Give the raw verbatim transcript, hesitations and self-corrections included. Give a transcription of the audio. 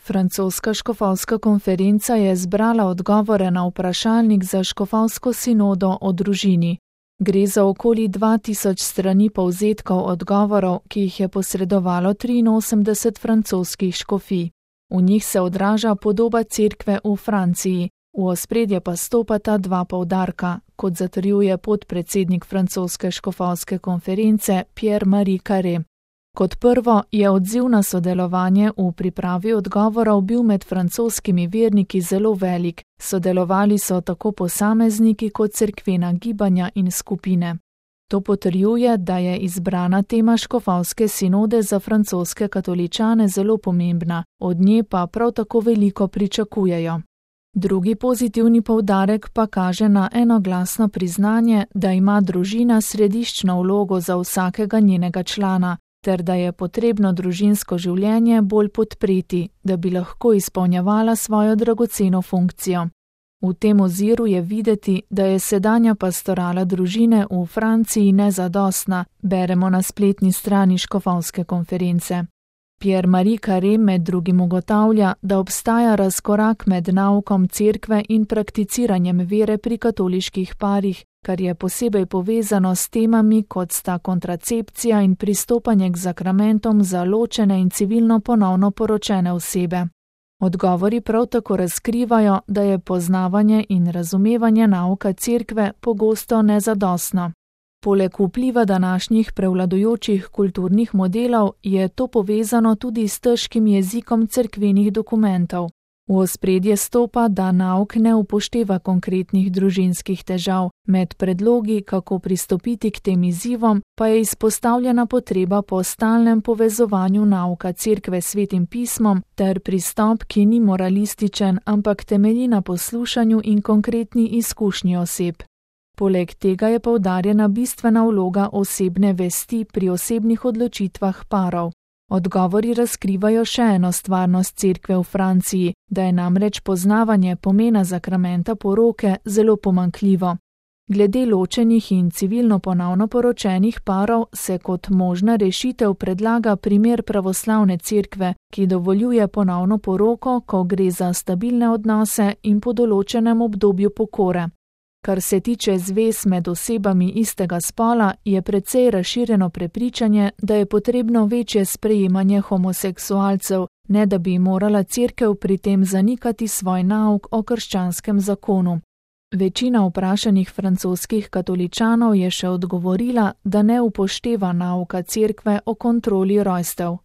Francoska škofovska konferenca je zbrala odgovore na vprašalnik za škofovsko sinodo o družini. Gre za okoli dva tisoč strani povzetkov odgovorov, ki jih je posredovalo triinosemdeset francoskih škofij. V njih se odraža podoba cerkve v Franciji, v ospredje pa stopata dva poudarka, kot zatrjuje podpredsednik francoske škofovske konference Pierre-Marie Carré. Kot prvo je odziv na sodelovanje v pripravi odgovorov bil med francoskimi verniki zelo velik, sodelovali so tako posamezniki kot cerkvena gibanja in skupine. To potrjuje, da je izbrana tema škofovske sinode za francoske katoličane zelo pomembna, od nje pa prav tako veliko pričakujejo. Drugi pozitivni poudarek pa kaže na enoglasno priznanje, da ima družina središčno vlogo za vsakega njenega člana, ter da je potrebno družinsko življenje bolj podpreti, da bi lahko izpolnjevala svojo dragoceno funkcijo. V tem oziru je videti, da je sedanja pastorala družine v Franciji nezadostna, beremo na spletni strani škofovske konference. Pierre-Marie Carré med drugim ugotavlja, da obstaja razkorak med naukom cerkve in prakticiranjem vere pri katoliških parih, kar je posebej povezano s temami, kot sta kontracepcija in pristopanje k zakramentom za ločene in civilno ponovno poročene osebe. Odgovori prav tako razkrivajo, da je poznavanje in razumevanje nauka cerkve pogosto nezadostno. Poleg vpliva današnjih prevladujočih kulturnih modelov je to povezano tudi s težkim jezikom cerkvenih dokumentov. V ospredje stopa, da nauk ne upošteva konkretnih družinskih težav, med predlogi, kako pristopiti k tem izzivom, pa je izpostavljena potreba po stalnem povezovanju nauka cerkve s Svetim pismom ter pristop, ki ni moralističen, ampak temelji na poslušanju in konkretni izkušnji oseb. Poleg tega je poudarjena bistvena vloga osebne vesti pri osebnih odločitvah parov. Odgovori razkrivajo še eno stvarnost cerkve v Franciji, da je namreč poznavanje pomena zakramenta poroke zelo pomanjkljivo. Glede ločenih in civilno ponovno poročenih parov se kot možna rešitev predlaga primer pravoslavne cerkve, ki dovoljuje ponovno poroko, ko gre za stabilne odnose in po določenem obdobju pokore. Kar se tiče zvez med osebami istega spola, je precej razširjeno prepričanje, da je potrebno večje sprejemanje homoseksualcev, ne da bi morala cerkev pri tem zanikati svoj nauk o krščanskem zakonu. Večina vprašanih francoskih katoličanov je še odgovorila, da ne upošteva nauka cerkve o kontroli rojstev.